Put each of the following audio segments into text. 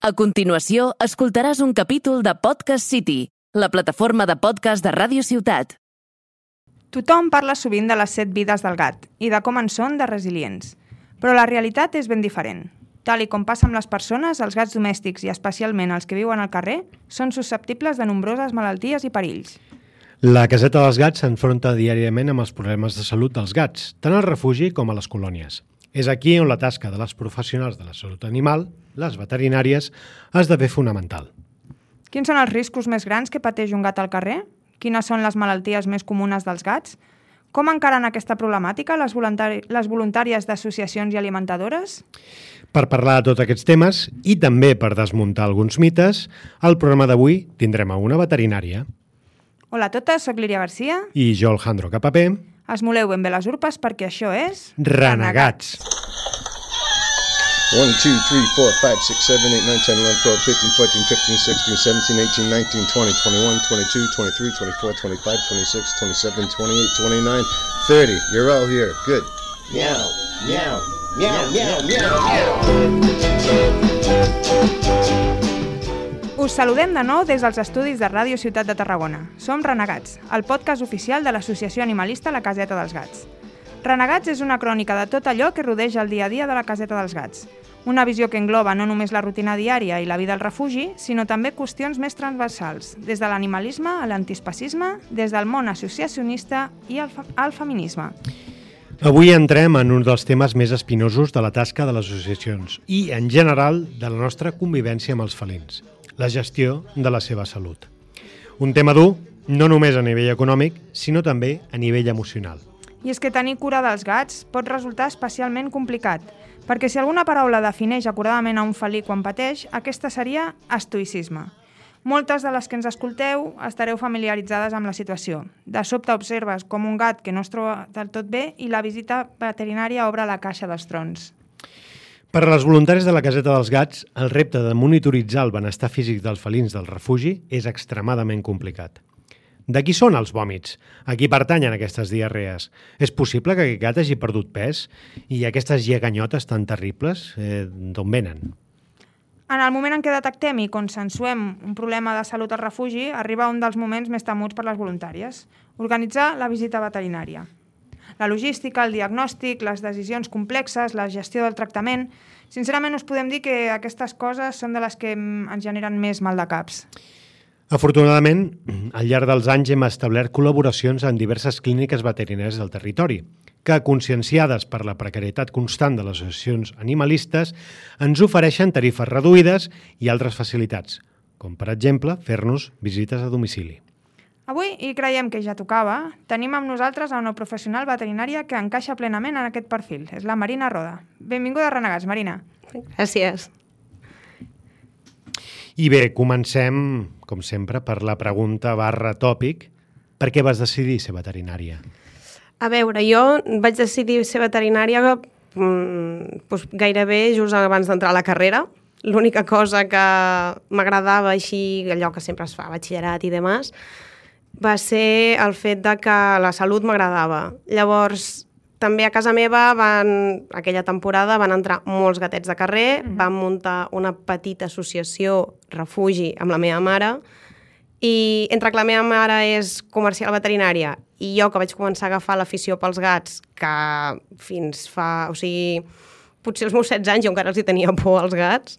A continuació, escoltaràs un capítol de Podcast City, la plataforma de podcast de Ràdio Ciutat. Tothom parla sovint de les 7 vides del gat i de com en són de resilients, però la realitat és ben diferent. Tal i com passa amb les persones, els gats domèstics i especialment els que viuen al carrer són susceptibles de nombroses malalties i perills. La caseta dels gats s'enfronta diàriament amb els problemes de salut dels gats, tant al refugi com a les colònies. És aquí on la tasca de les professionals de la salut animal, les veterinàries, esdevé fonamental. Quins són els riscos més grans que pateix un gat al carrer? Quines són les malalties més comunes dels gats? Com encaren aquesta problemàtica les voluntàries d'associacions i alimentadores? Per parlar de tots aquests temes i també per desmuntar alguns mites, al programa d'avui tindrem a una veterinària. Hola a totes, soc Líria Garcia. I jo, Alejandro Capapé. Esmoleu ben bé les urpes perquè això és... Renegats! 1, 2, 3, 4, 5, 6, 7, 8, 9, 10, 11, 12, 13, 14, 15, 16, 17, 18, 19, 20, 21, 22, 23, 24, 25, 26, 27, 28, 29, 30. You're all here. Good. Meow, meow, meow, meow, meow, meow. Us saludem de nou des dels estudis de Ràdio Ciutat de Tarragona. Som Renegats, el podcast oficial de l'associació animalista La Caseta dels Gats. Renegats és una crònica de tot allò que rodeja el dia a dia de la Caseta dels Gats. Una visió que engloba no només la rutina diària i la vida al refugi, sinó també qüestions més transversals, des de l'animalisme a l'antiespecisme, des del món associacionista i al feminisme. Avui entrem en un dels temes més espinosos de la tasca de les associacions i, en general, de la nostra convivència amb els felins. La gestió de la seva salut. Un tema dur, no només a nivell econòmic, sinó també a nivell emocional. I és que tenir cura dels gats pot resultar especialment complicat, perquè si alguna paraula defineix acuradament a un felí quan pateix, aquesta seria estoïcisme. Moltes de les que ens escolteu estareu familiaritzades amb la situació. De sobte observes com un gat que no es troba del tot bé i la visita veterinària obre la caixa dels trons. Per a les voluntàries de la Caseta dels Gats, el repte de monitoritzar el benestar físic dels felins del refugi és extremadament complicat. De qui són els vòmits? A qui pertanyen aquestes diarrees? És possible que aquest gat hagi perdut pes? I aquestes lleganyotes tan terribles, d'on venen? En el moment en què detectem i consensuem un problema de salut al refugi, arriba un dels moments més temuts per les voluntàries: organitzar la visita veterinària. La logística, el diagnòstic, les decisions complexes, la gestió del tractament... Sincerament, us podem dir que aquestes coses són de les que ens generen més mal de caps. Afortunadament, al llarg dels anys hem establert col·laboracions en diverses clíniques veterinàries del territori, que, conscienciades per la precarietat constant de les associacions animalistes, ens ofereixen tarifes reduïdes i altres facilitats, com, per exemple, fer-nos visites a domicili. Avui, i creiem que ja tocava, tenim amb nosaltres a una professional veterinària que encaixa plenament en aquest perfil. És la Marina Roda. Benvinguda a Renegats, Marina. Gràcies. I bé, comencem, com sempre, per la pregunta /tòpic. Per què vas decidir ser veterinària? A veure, jo vaig decidir ser veterinària gairebé just abans d'entrar a la carrera. L'única cosa que m'agradava així, allò que sempre es fa, batxillerat i demás, va ser el fet de que la salut m'agradava. Llavors, també a casa meva, aquella temporada, van entrar molts gatets de carrer, vam muntar una petita associació refugi amb la meva mare, i entre que la meva mare és comercial veterinària i jo que vaig començar a agafar l'afició pels gats, que fins fa... O sigui, potser els meus 16 anys jo encara els hi tenia por als gats.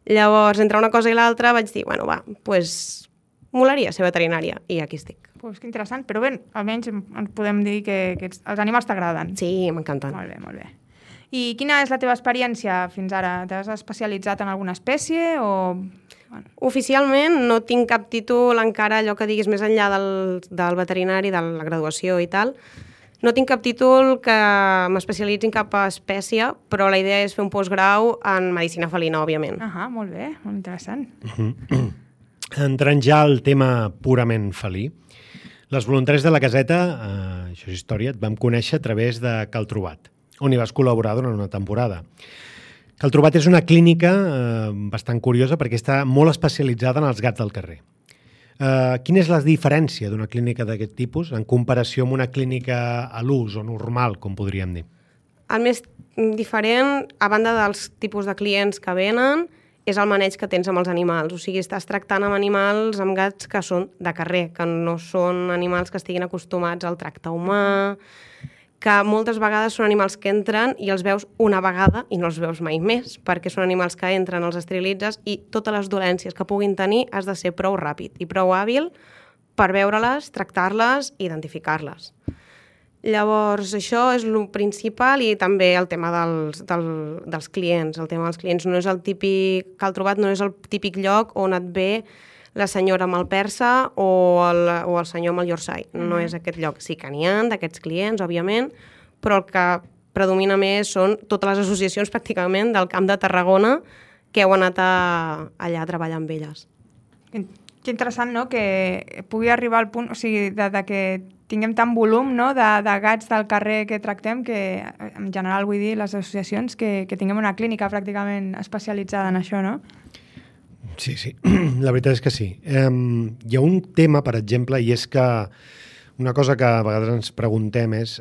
Llavors, entre una cosa i l'altra vaig dir, bueno, va, doncs molaria ser veterinària, i aquí estic. Pues que interessant, però bé, almenys ens podem dir que els animals t'agraden. Sí, m'encanten. Molt bé, molt bé. I quina és la teva experiència fins ara? T'has especialitzat en alguna espècie o...? Bueno. Oficialment no tinc cap títol encara, allò que diguis més enllà del veterinari, de la graduació i tal. No tinc cap títol que m'especialitzi en cap espècie, però la idea és fer un postgrau en medicina felina, òbviament. Molt bé, molt interessant. Entrant ja al tema purament felí, les voluntàries de la caseta, això és història, et vam conèixer a través de Cal Trobat, on hi vas col·laborar durant una temporada. Cal Trobat és una clínica bastant curiosa perquè està molt especialitzada en els gats del carrer. Quina és la diferència d'una clínica d'aquest tipus en comparació amb una clínica a l'ús o normal, com podríem dir? El més diferent, a banda dels tipus de clients que venen, és el maneig que tens amb els animals. O sigui, estàs tractant amb animals, amb gats que són de carrer, que no són animals que estiguin acostumats al tracte humà, que moltes vegades són animals que entren i els veus una vegada i no els veus mai més, perquè són animals que entren, els esterilitzes i totes les dolències que puguin tenir has de ser prou ràpid i prou hàbil per veure-les, tractar-les i identificar-les. Llavors, això és el principal i també el tema dels clients. El tema dels clients no és el típic... Cal Trobat no és el típic lloc on et ve la senyora amb el persa o el senyor amb el Yorkshire. No és aquest lloc. Sí que n'hi ha d'aquests clients, òbviament, però el que predomina més són totes les associacions pràcticament del Camp de Tarragona que heu anat allà a treballar amb elles. Que interessant, no?, que pugui arribar al punt, o sigui, de que tinguem tant volum, no?, de gats del carrer que tractem, que en general vull dir les associacions, que tinguem una clínica pràcticament especialitzada en això, no? Sí, la veritat és que sí. Hi ha un tema, per exemple, i és que una cosa que a vegades ens preguntem és,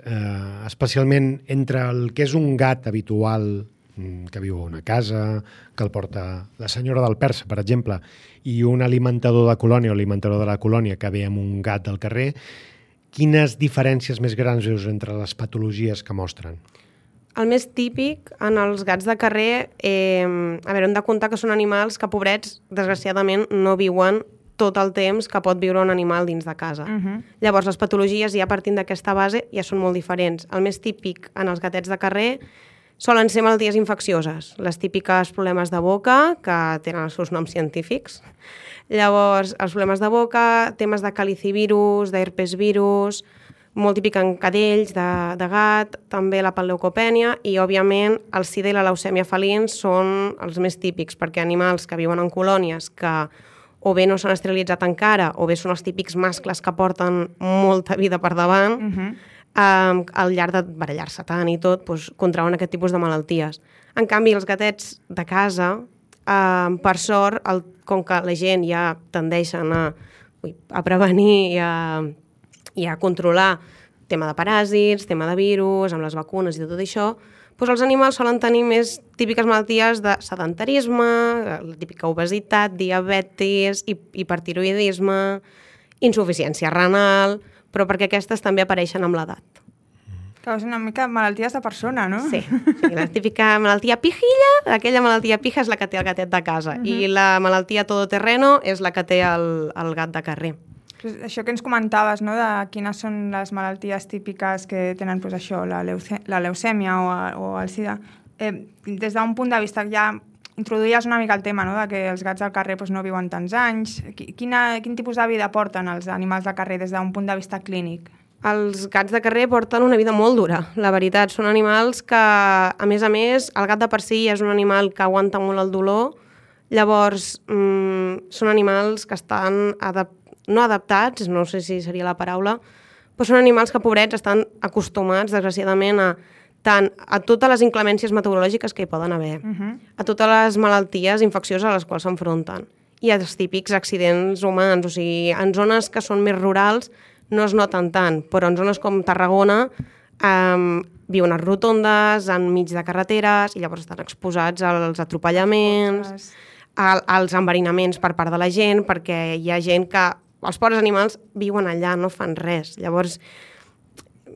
especialment entre el que és un gat habitual que viu a una casa, que el porta la senyora del persa, per exemple, i un alimentador de colònia o alimentador de la colònia que ve amb un gat del carrer, quines diferències més grans veus entre les patologies que mostren? El més típic en els gats de carrer, hem de comptar que són animals que, pobrets, desgraciadament, no viuen tot el temps que pot viure un animal dins de casa. Llavors, les patologies, ja partint d'aquesta base, ja són molt diferents. El més típic en els gatets de carrer solen ser malalties infeccioses, les típiques problemes de boca, que tenen els seus noms científics. Llavors, els problemes de boca, temes de calicivirus, d'herpesvirus, molt típic en cadells de gat, també la panleucopènia i, òbviament, el sida i la leucèmia felins són els més típics, perquè animals que viuen en colònies que o bé no s'han esterilitzat encara o bé són els típics mascles que porten molta vida per davant, al llarg de barallar-se tant i tot, contrauen aquest tipus de malalties. En canvi, els gatets de casa, per sort, com que la gent ja tendeixen a prevenir i a controlar tema de paràsits, tema de virus, amb les vacunes i tot això, els animals solen tenir més típiques malalties de sedentarisme, la típica obesitat, diabetis, hipertiroidisme, insuficiència renal, però perquè aquestes també apareixen amb l'edat. Que és una mica malalties de persona, no? Sí, la típica malaltia pijilla, aquella malaltia pija és la que té el gatet de casa, i la malaltia todoterreno és la que té el gat de carrer. Això que ens comentaves, no?, de quines són les malalties típiques que tenen això, la leucèmia o el sida. Des d'un punt de vista, ja introduïes una mica el tema, no?, de que els gats del carrer no viuen tants anys. Quin tipus de vida porten els animals de carrer des d'un punt de vista clínic? Els gats de carrer porten una vida molt dura, la veritat. Són animals que, a més, el gat de per si és un animal que aguanta molt el dolor. Llavors, són animals que estan no adaptats, no sé si seria la paraula, però són animals que, pobrets, estan acostumats, desgraciadament, tant a totes les inclemències meteorològiques que hi poden haver, a totes les malalties infeccioses a les quals s'enfronten, i als típics accidents humans. O sigui, en zones que són més rurals no es noten tant, però en zones com Tarragona viuen a rotondes, enmig de carreteres, i llavors estan exposats als atropellaments, als enverinaments per part de la gent, perquè hi ha gent que els pobres animals viuen allà, no fan res. Llavors,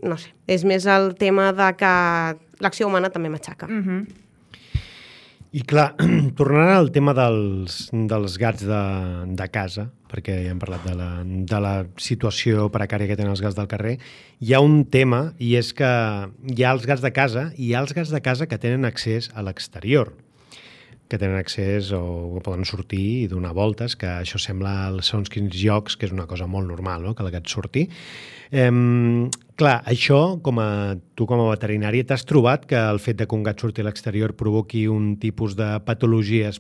no sé, és més el tema de que l'acció humana també matxaca. I clar, tornant al tema dels gats de casa, perquè ja hem parlat de la situació precària que tenen els gats del carrer, hi ha un tema, i és que hi ha els gats de casa i hi ha els gats de casa que tenen accés a l'exterior, que tenen accés o poden sortir i donar voltes, que això sembla segons quins llocs, que és una cosa molt normal, no?, que el gat surti. Clar, això, tu com a veterinari, t'has trobat que el fet que un gat surti a l'exterior provoqui un tipus de patologies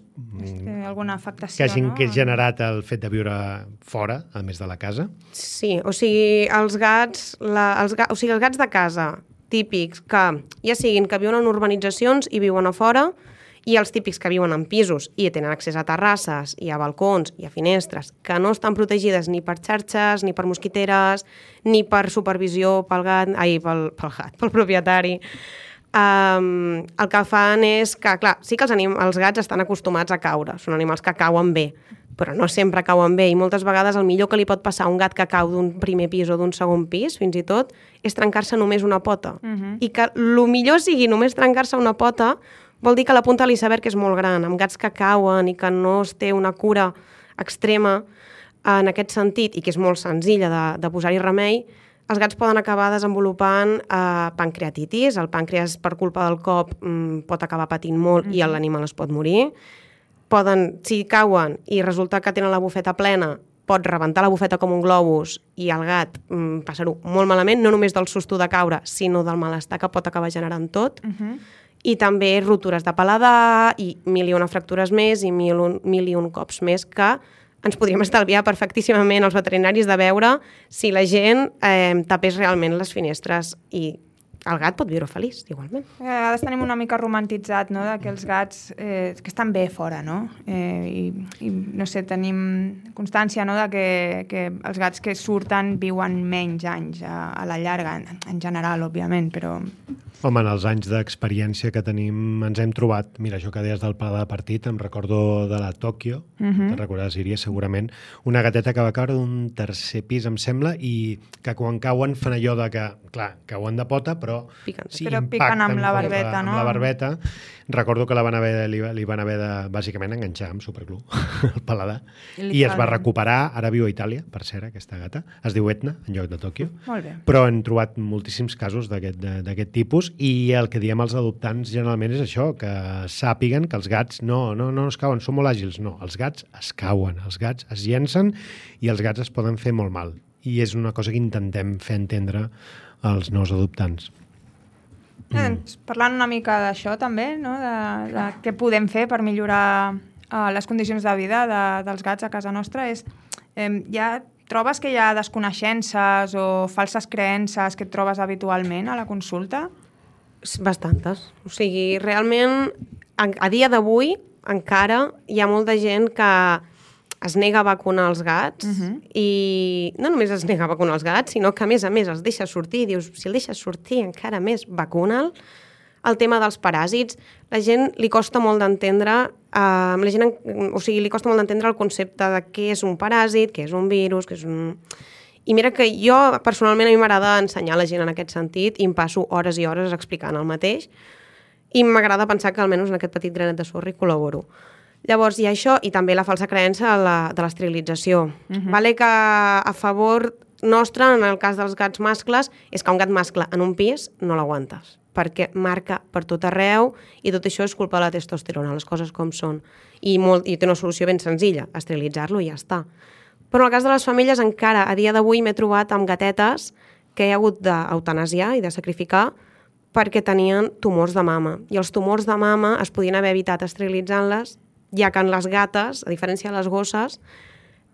alguna afectació, que hagi generat el fet de viure fora, a més de la casa? Sí, o sigui, els gats de casa típics, que ja siguin que viuen en urbanitzacions i viuen a fora, i els típics que viuen en pisos i tenen accés a terrasses i a balcons i a finestres que no estan protegides ni per xarxes, ni per mosquiteres, ni per supervisió pel propietari. el que fan és que, clar, sí que els gats estan acostumats a caure, són animals que cauen bé, però no sempre cauen bé, i moltes vegades el millor que li pot passar a un gat que cau d'un primer pis o d'un segon pis, fins i tot, és trencar-se només una pota. I que el millor sigui només trencar-se una pota vol dir que la punta de l'iceberg és molt gran. Amb gats que cauen i que no es té una cura extrema en aquest sentit, i que és molt senzilla de posar-hi remei, els gats poden acabar desenvolupant pancreatitis. El pàncreas, per culpa del cop, pot acabar patint molt i l'animal es pot morir. Si cauen i resulta que tenen la bufeta plena, pot rebentar la bufeta com un globus i el gat passar-ho molt malament, no només del susto de caure, sinó del malestar que pot acabar generant tot. I també ruptures de paladar i 1.001 fractures més i 1.001 cops més que ens podríem estalviar perfectíssimament els veterinaris de veure si la gent tapés realment les finestres, i el gat pot viure feliç, igualment. A vegades tenim una mica romantitzat, no?, que els gats que estan bé fora, no? I no sé, tenim constància, no?, que els gats que surten viuen menys anys a la llarga, en general, òbviament, però... Home, en els anys d'experiència que tenim ens hem trobat, mira, això que deies del pla de partit, em recordo de la Tòquio, te'n recordaràs, Iria, segurament, una gateta que va caure d'un tercer pis, em sembla, i que quan cauen fan allò de que, clar, cauen de pota, però piquen amb la barbeta, no? Amb la barbeta. Recordo que li van haver de, bàsicament, enganxar amb superglú el paladar, i es va recuperar, ara viu a Itàlia, per cert, aquesta gata, es diu Etna, en lloc de Tòquio, però hem trobat moltíssims casos d'aquest tipus, i el que diem als adoptants generalment és això, que sàpiguen que els gats no es cauen, són molt àgils, no, els gats es cauen, els gats es llencen i els gats es poden fer molt mal, i és una cosa que intentem fer entendre als nous adoptants. Parlant una mica d'això també, no?, de què podem fer per millorar les condicions de vida dels gats a casa nostra, trobes que hi ha desconeixences o falses creences que et trobes habitualment a la consulta? Bastantes. O sigui, realment, a dia d'avui encara hi ha molta gent que es nega a vacunar els gats, i no només es nega a vacunar els gats, sinó que a més els deixa sortir, i dius, si el deixes sortir encara més, vacuna'l. El tema dels paràsits, la gent li costa molt d'entendre, li costa molt d'entendre el concepte de què és un paràsit, què és un virus, què és un... I mira que jo, personalment, a mi m'agrada ensenyar a la gent en aquest sentit, i em passo hores i hores explicant el mateix, i m'agrada pensar que almenys en aquest petit granet de sorra hi col·laboro. Llavors, hi ha això, i també la falsa creença de l'esterilització. Vale que a favor nostre, en el cas dels gats mascles, és que un gat mascle en un pis no l'aguantes, perquè marca per tot arreu, i tot això és culpa de la testosterona, les coses com són. I té una solució ben senzilla, esterilitzar-lo i ja està. Però en el cas de les femelles, encara a dia d'avui m'he trobat amb gatetes que he hagut d'eutanasiar i de sacrificar perquè tenien tumors de mama. I els tumors de mama es podien haver evitat esterilitzant-les, ja que en les gates, a diferència de les gosses,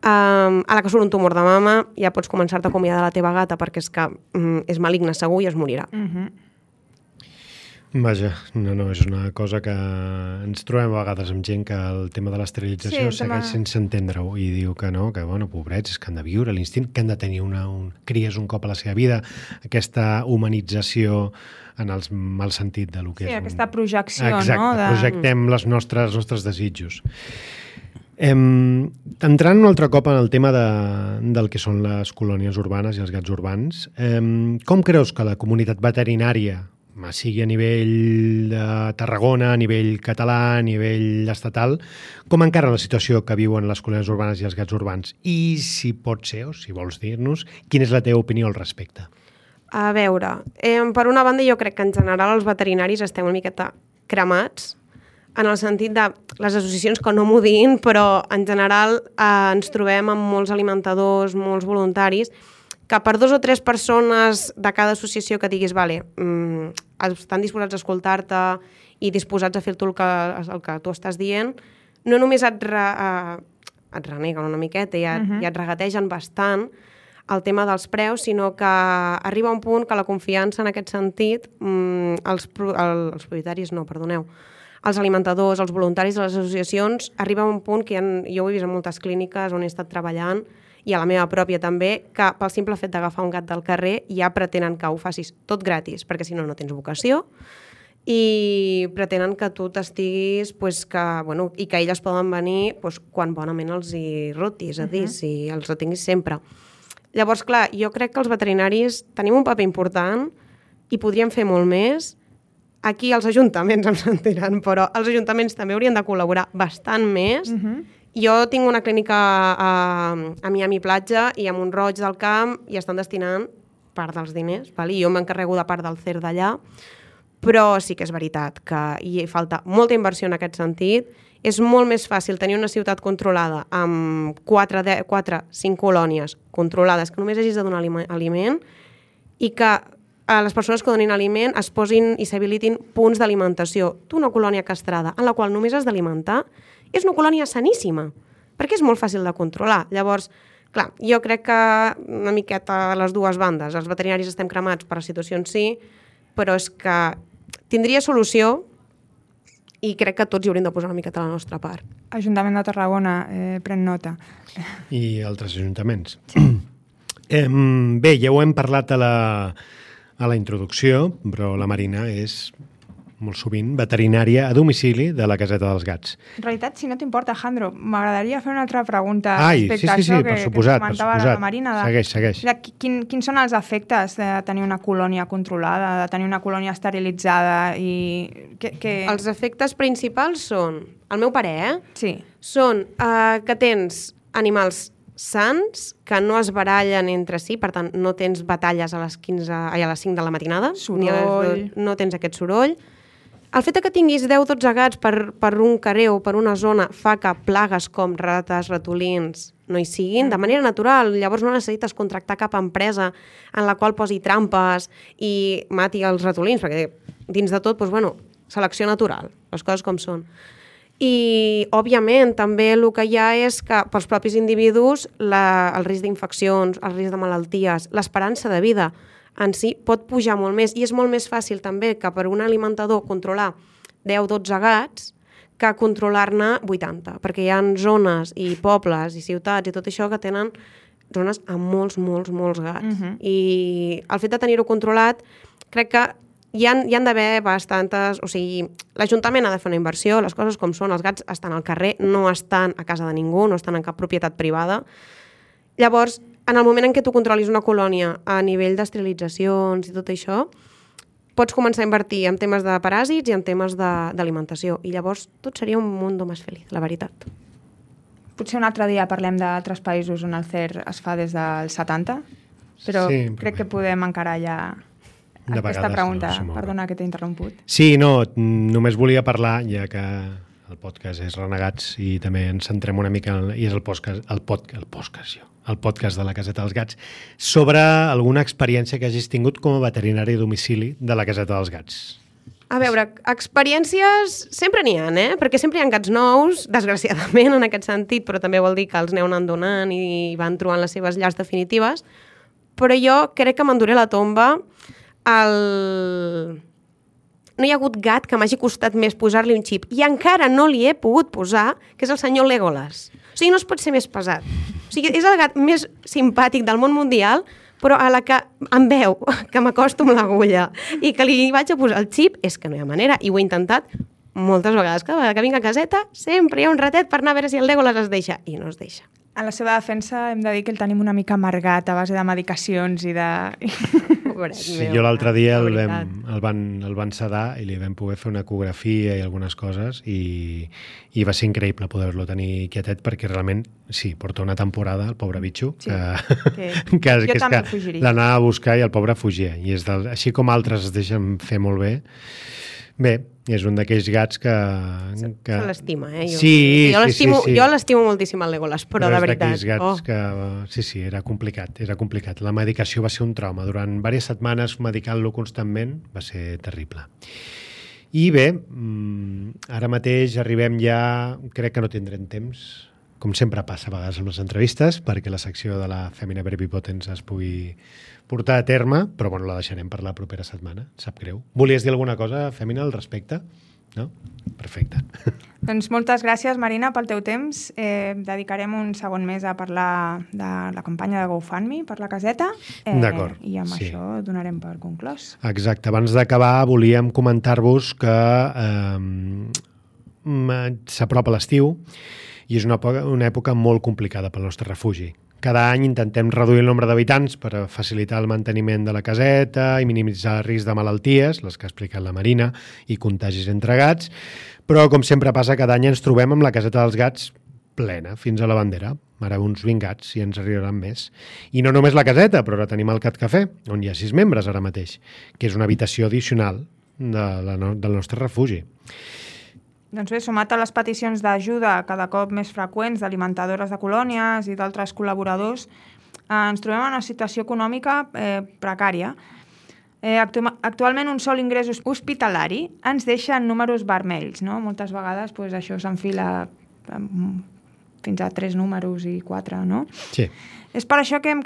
a la que surt un tumor de mama ja pots començar-te a acomiadar de la teva gata perquè és que és maligna segur i es morirà. Vaja, no, és una cosa que ens trobem a vegades amb gent que el tema de l'esterilització segueix sense entendre-ho i diu que no, que bueno, pobrets, que han de viure l'instint, que han de tenir cries un cop a la seva vida, aquesta humanització en el mal sentit de lo que és. Sí, aquesta projecció, exacte, no? Projectem els nostres desitjos. Entrant un altre cop en el tema del que són les colònies urbanes i els gats urbans, com creus que la comunitat veterinària, sigui a nivell de Tarragona, a nivell català, a nivell estatal, com encara la situació que viuen les colònies urbanes i els gats urbans? I si pot ser, o si vols dir-nos, quina és la teva opinió al respecte? A veure, per una banda jo crec que en general els veterinaris estem una miqueta cremats, en el sentit de les associacions que no m'ho diguin, però en general ens trobem amb molts alimentadors, molts voluntaris, que per 2 o 3 persones de cada associació que diguis, vale, estan disposats a escoltar-te i disposats a fer el que tu estàs dient, no només et reneguen una miqueta i et regategen bastant el tema dels preus, sinó que arriba un punt que la confiança en aquest sentit, els propietaris no, perdoneu, els alimentadors, els voluntaris de les associacions, arriba un punt que jo ho he vist en moltes clíniques on he estat treballant, i a la meva pròpia també, que pel simple fet d'agafar un gat del carrer ja pretenen que ho facis tot gratis, perquè si no, no tens vocació, i pretenen que tu t'estiguis i que elles poden venir quan bonament els hi rotis, és a dir, si els retinguis sempre. Llavors, clar, jo crec que els veterinaris tenim un paper important i podríem fer molt més. Aquí els ajuntaments em sentiran, però els ajuntaments també haurien de col·laborar bastant més. Jo tinc una clínica a Miami Platja i a Mont-roig del Camp i estan destinant part dels diners, i jo m'encarrego de part del CER d'allà, però sí que és veritat que hi falta molta inversió en aquest sentit. És molt més fàcil tenir una ciutat controlada amb 4-5 colònies controlades, que només hagis de donar aliment, i que les persones que donin aliment es posin i s'habilitin punts d'alimentació. Tu, una colònia castrada en la qual només has d'alimentar, és una colònia saníssima, perquè és molt fàcil de controlar. Llavors, clar, jo crec que una miqueta a les dues bandes. Els veterinaris estem cremats per situacions sí, però és que tindria solució i crec que tots hi hauríem de posar una miqueta a la nostra part. Ajuntament de Tarragona, pren nota. I altres ajuntaments. Bé, ja ho hem parlat a la introducció, però la Marina és molt sovint veterinària a domicili de la Caseta dels Gats. En realitat, si no t'importa, Jandro, m'agradaria fer una altra pregunta Ai, respecte a sí, això per que suposat, comentava la Marina. Segueix. Quins són els efectes de tenir una colònia controlada, de tenir una colònia esterilitzada? Els efectes principals són, al meu parer, sí, són que tens animals sants, que no es barallen entre si, per tant, no tens batalles a les 5 de la matinada, no tens aquest soroll. El fet que tinguis 10-12 gats per un carrer o per una zona fa que plagues com rates, ratolins no hi siguin de manera natural. Llavors no necessites contractar cap empresa en la qual posi trampes i mati els ratolins, perquè dins de tot, selecció natural, les coses com són. I, òbviament, també el que hi ha és que pels propis individus el risc d'infeccions, el risc de malalties, l'esperança de vida en si pot pujar molt més i és molt més fàcil també que per un alimentador controlar 10-12 gats que controlar-ne 80, perquè hi ha zones i pobles i ciutats i tot això que tenen zones amb molts gats. I el fet de tenir-ho controlat, crec que hi han d'haver bastantes... O sigui, l'Ajuntament ha de fer una inversió, les coses com són, els gats estan al carrer, no estan a casa de ningú, no estan en cap propietat privada. Llavors, en el moment en què tu controlis una colònia a nivell d'esterilitzacions i tot això, pots començar a invertir en temes de paràsits i en temes d'alimentació. I llavors tot seria un mundo més feliç, la veritat. Potser un altre dia parlem d'altres països on el CER es fa des del 70, però sí, crec que podem encarar ja aquesta pregunta. Perdona que t'he interromput. Sí, no, només volia parlar, ja que el podcast és Renegats i també ens centrem una mica, i és el podcast de la Caseta dels Gats, sobre alguna experiència que hagis tingut com a veterinari a domicili de la Caseta dels Gats. A veure, experiències sempre n'hi ha, perquè sempre hi ha gats nous, desgraciadament en aquest sentit, però també vol dir que els aneu anant donant i van trobant les seves llars definitives, però jo crec que m'enduré la tomba No hi ha hagut gat que m'hagi costat més posar-li un xip i encara no li he pogut posar, que és el senyor Legolas. O sigui, no es pot ser més pesat. O sigui, és el gat més simpàtic del món mundial, però a la que em veu que m'acosto amb l'agulla i que li vaig a posar el xip, és que no hi ha manera. I ho he intentat moltes vegades. Cada vegada que vinc a caseta, sempre hi ha un ratet per anar a veure si el Legolas es deixa. I no es deixa. En la seva defensa hem de dir que el tenim una mica amargat a base de medicacions i de... Sí, jo l'altre dia el van sedar i li vam poder fer una ecografia i algunes coses i va ser increïble poder-lo tenir quietet perquè realment, sí, porta una temporada el pobre bitxo, sí, que l'anava a buscar i el pobre fugia. I és així com altres es deixen fer molt bé. Bé, és un d'aquells gats que... Se l'estima, Sí. Jo l'estimo moltíssim el Legolas, però de veritat. És d'aquells gats que... Sí, era complicat. La medicació va ser un trauma. Durant diverses setmanes medicant-lo constantment va ser terrible. I bé, ara mateix arribem ja... Crec que no tindrem temps, com sempre passa a vegades amb les entrevistes, perquè la secció de la Femina Brevi-Potens es pugui portar a terme, però bueno, la deixarem per la propera setmana, sap greu. Volies dir alguna cosa, Fèmina, al respecte? no? Perfecte. Doncs moltes gràcies, Marina, pel teu temps. Dedicarem un segon mes a parlar de la campanya de GoFundMe per la caseta. D'acord, I amb sí. això donarem per conclòs. Exacte. Abans d'acabar, volíem comentar-vos que s'apropa l'estiu i és una època molt complicada pel nostre refugi. Cada any intentem reduir el nombre d'habitants per facilitar el manteniment de la caseta i minimitzar el risc de malalties, les que ha explicat la Marina, i contagis entre gats, però com sempre passa, cada any ens trobem amb la caseta dels gats plena, fins a la bandera. Ara uns 20 gats i ens arribaran més. I no només la caseta, però ara tenim el Cat Cafè, on hi ha 6 membres ara mateix, que és una habitació addicional del nostre refugi. Doncs bé, sumat a les peticions d'ajuda cada cop més freqüents d'alimentadores de colònies i d'altres col·laboradors, ens trobem en una situació econòmica precària. Actualment un sol ingrés hospitalari ens deixa en números vermells, no? Moltes vegades això s'enfila fins a 3 números i 4, no? Sí. És per això que hem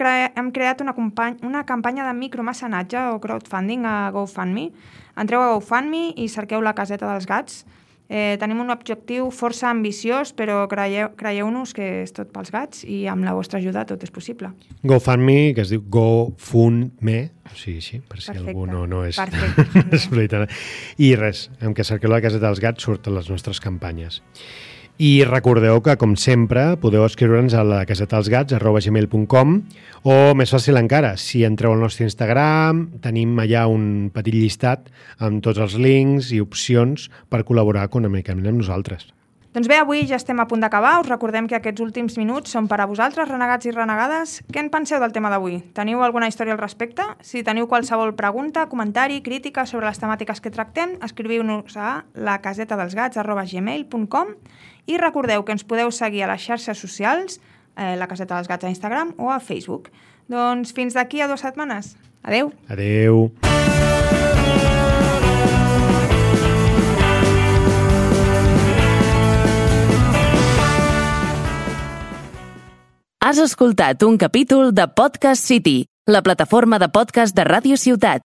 creat una campanya de micromecenatge o crowdfunding a GoFundMe. Entreu a GoFundMe i cerqueu la caseta dels gats. Tenim un objectiu força ambiciós, però creieu-nos que és tot pels gats i amb la vostra ajuda tot és possible. GoFundMe, que es diu GoFundMe, sí, per si Perfecte. algú no és... Perfecte. I res, amb que cerqueu la caseta dels gats surten les nostres campanyes. I recordeu que, com sempre, podeu escriure'ns a la casetadelsgats@gmail.com o, més fàcil encara, si entreu al nostre Instagram, tenim allà un petit llistat amb tots els links i opcions per col·laborar econòmicament amb nosaltres. Doncs bé, avui ja estem a punt d'acabar. Us recordem que aquests últims minuts són per a vosaltres, renegats i renegades. Què en penseu del tema d'avui? Teniu alguna història al respecte? Si teniu qualsevol pregunta, comentari, crítica sobre les temàtiques que tractem, escriviu-nos a lacasetadelsgats@gmail.com i recordeu que ens podeu seguir a les xarxes socials, la Caseta dels Gats a Instagram o a Facebook. Doncs fins d'aquí a 2 setmanes. Adeu! Adeu! Has escoltat un capítol de Podcast City, la plataforma de podcast de Ràdio Ciutat.